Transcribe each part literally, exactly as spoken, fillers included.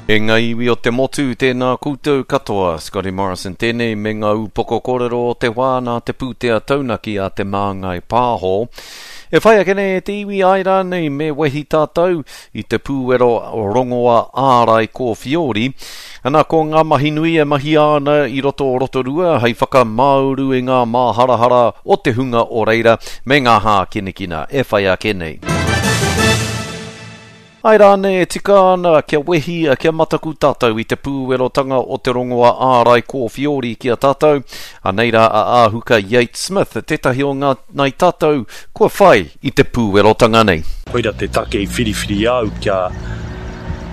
E ngā iwi o te motu, tēnā koutou katoa. Scotty Morrison tēnei me ngā upoko kōrero o te wā nā te pūtea taunaki a Te Māngai Pāho. E whai ake nei e te iwi ai rānei me wehi tātou i te pūwero rongoa ārai kōwhiori. Ana ko ngā mahi nui e mahia ana i roto o Rotorua hei whakamāuru i ngā māharahara o te hunga o reira me ngā hākinakina e whai ake nei. Ai rānei e tika ana kia wehi, kia mataku tātou i te pūwerotanga o te rongoa ārai kōwhiori ki a tātou. Anei rā a Ahuka Yates-Smith, tētahi o ngā nai tātou kua whai i te pūwerotanga nei. Koira te take i whiriwhiri au kia,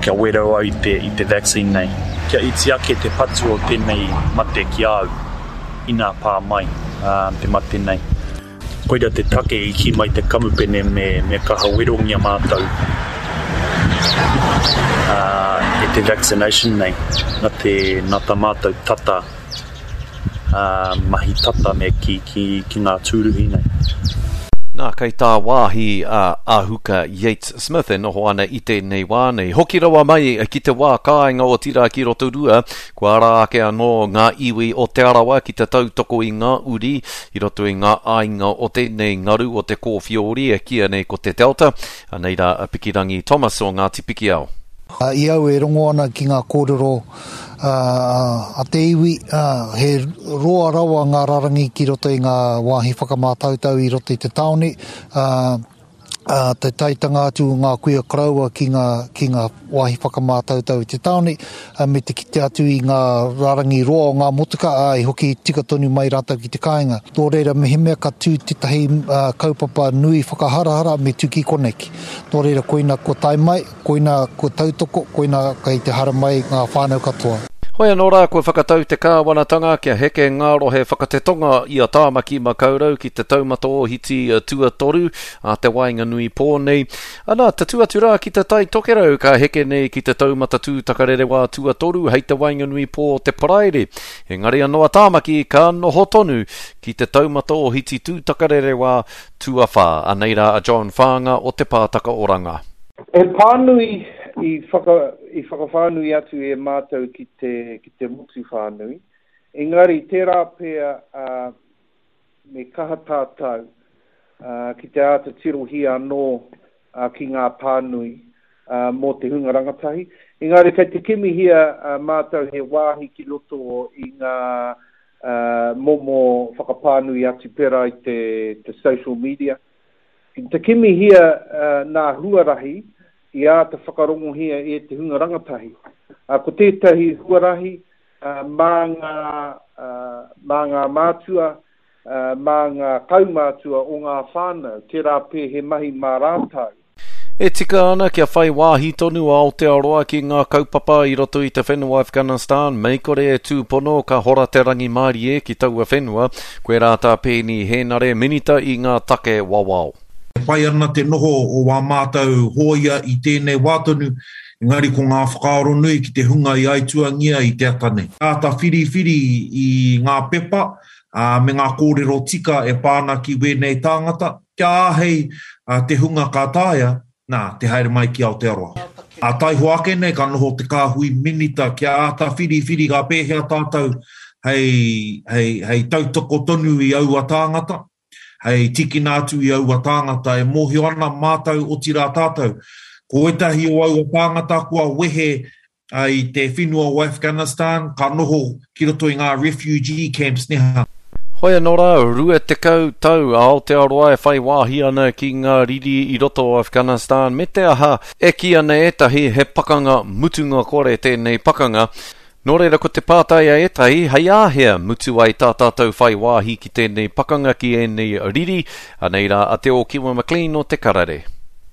kia wero au i te, i te vaccine nei. Kia iti ake te patu o tēnei mate ki au, ina pā mai uh, te mate nei. Koira te take i kī mai te kamupene me, me kaha werongia mātou uh, e te vaccination nei. Na te, na tā mātou tata, uh, mahi tata me ki, ki, ki ngā tūruhi nei. Nā, kei tā wāhi a Ahuka Yates-Smith e noho ana i tēnei wā nei. Hoki rawa mai ki te wā kāinga o Tira ki Rotorua, kua ara ake anō ngā iwi o Te Arawa ki te tautoko i ngā uri i roto i ngā āinga o tēnei ngaru o te kōwhiori e kīia nei ko te Delta. Anei rā a Pikirangi Thomas o Ngāti Pikiao. I au e rongo ana ki ngā kōrero a te iwi, he roa rawa ngā rarangi ki roto i ngā wāhi whakamātautau i roto i te tāone, te taitanga atu o ngā kuia koroua ki ngā, ki ngā wāhi whakamātautau i te tāone, me te kite atu i ngā rarangi roa o ngā motuka, ā, i hoki tika tonu mai rātou ki te kāinga. Nō reira, mehemea ka tū tētahi kaupapa nui whakaharahara me tū ki koneki. Nō reira, koina kua tae mai, koina kua tautoko, koina kei te haramai ngā whānau katoa. Hoi anō rā, kua whakatau te kāwanatanga kia heke ngā rohe whakatetonga i a Tāmaki Makaurau ki te taumata ohiti tuatoru a te waenganui pō nei. Ana, tatū atu rā ki te Tai Tokerau ka heke nei ki te taumata tūtakarerewā tuatoru hei te waenganui pō te Paraire. Engari anō a Tāmaki ka noho tonu ki te taumata ohiti tūtakarerewā tuawhā. Anei rā a John Whaanga o Te Pātaka Oranga. He pānui i whaka, i whakawhānui atu e mātou ki te, ki te motu whānui. Engari, tērā pea uh, me kaha tātou uh, ki te āta tirohia anō uh, ki ngā pānui uh, mō te hunga rangatahi. Engari, kei te kimihia uh, mātou he wāhi ki roto i ngā uh, momo whakapānui atu pērā i te, te social media. Ki te kimihia uh, nā huarahi i āta whakarongohia e te hunga rangatahi. Uh, ko tētahi huarahi uh, mā ngā, uh, mā ngā mātua, uh, mā ngā kaumātua o ngā whānau, tērā pē he mahi mā rātou. E tika ana kia whai wāhi tonu a Aotearoa ki ngā kaupapa i roto i te whenua Afghanistan, mei kore e tūpono ka hora te rangimārie ki taua whenua, koe rā tā Peeni Hēnare minita i ngā take wawao. E pai ana te noho o wā mātou hōia i tēnei wā tonu, engari ko ngā whakaaro nui ki te hunga i aituangia i te ata nei. Āta whiriwhiri i ngā pepa uh, me ngā kōrero tika e pā ana ki wēnei tāngata, kia āhei uh, te hunga ka taea, nā, te haere mai ki Aotearoa. A taihoa ake nei ka noho te kāhui minita kia āta whiriwhiri ka pēhea tātou hei, hei, hei tautoko tonu i aua tāngata, hei tikina atu i aua tāngata e mōhio ana mātou otirā tātou. Ko ētahi o aua tāngata kua wehe uh, i te whenua o Afghanistan, ka noho ki roto i ngā refugee camps neha. Hoi anō rā, rua tekau tau a Aotearoa e whai wāhi ana ki ngā riri i roto o Afghanistan me te aha e kī ana ētahi he pakanga mutunga kore tēnei pakanga. Nō reira ko te pātai a ētahi, hei āhea mutu ai tā tātou whai wāhi ki tēnei pakanga ki ēnei riri, anei rā a Te Ōkiwa McLean o Te Karere.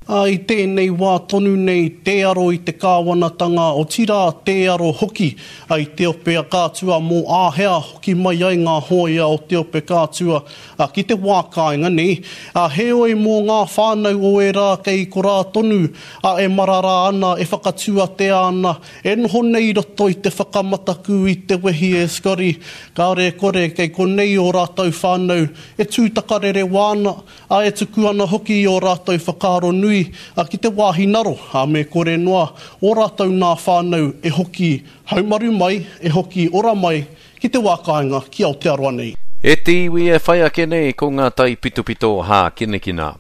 A, i tēnei wā tonu nei tē aro i te kāwanatanga, otirā tē aro hoki a i te ope a kātua mō āhea hoki mai ai ngā hōia o te ope kātua a, ki te wā kāinga nei. A, heoi mō ngā whānau o e rā kei korā tonu a, e marara ana, e whakatūatea ana, e noho nei roto i te whakamataku i te wehi e Scotty, kāore e kore kei konei o rātou whānau e tūtakarere wāna, a e tuku ana hoki i o rātou whakaaro nui hui ki te wāhi naro, me kore noa ō rātou nā whānau e hoki haumaru mai, e hoki ora mai ki te wā kāinga ki Aotearoa nei. E te iwi e whai ake nei ko ngā taipitopito hākinakina.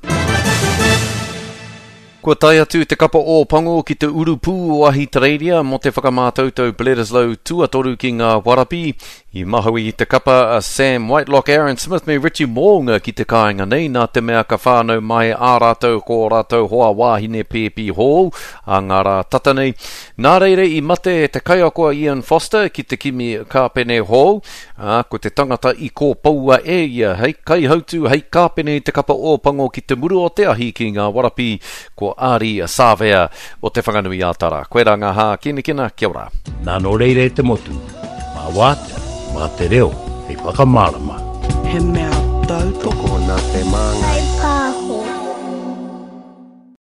Kua tae atu te kapa Ōpango ki te urupū o Ahitereiria mō te whakamātautau Bledisloe tuatoru ki ngā warapi. I mahaui i te kapa a Sam Whitelock, Aaron Smith me Richie Mo'unga ki te kāinga nei nā te mea ka whānau mai ā rātou ko ō rātou hoa wāhine pēpi hou ā ngā rā tata nei. Nā reira i mate te kaiako a Ian Foster ki te kimi kāpene hou, ā, ko te tangata i kōpoua e ia hei kaihautū, hei kāpene i te kapa Ōpango ki te muru o te ahi ki ngā warapi, ko Ardie Savea o Te Whanganui-ā-Tara. Koirā ngā hākinakina, kia ora. Nā nō reira e te motu, mā wātea, mā te reo hei whakamārama. He mea tautoko Tokona te māngai.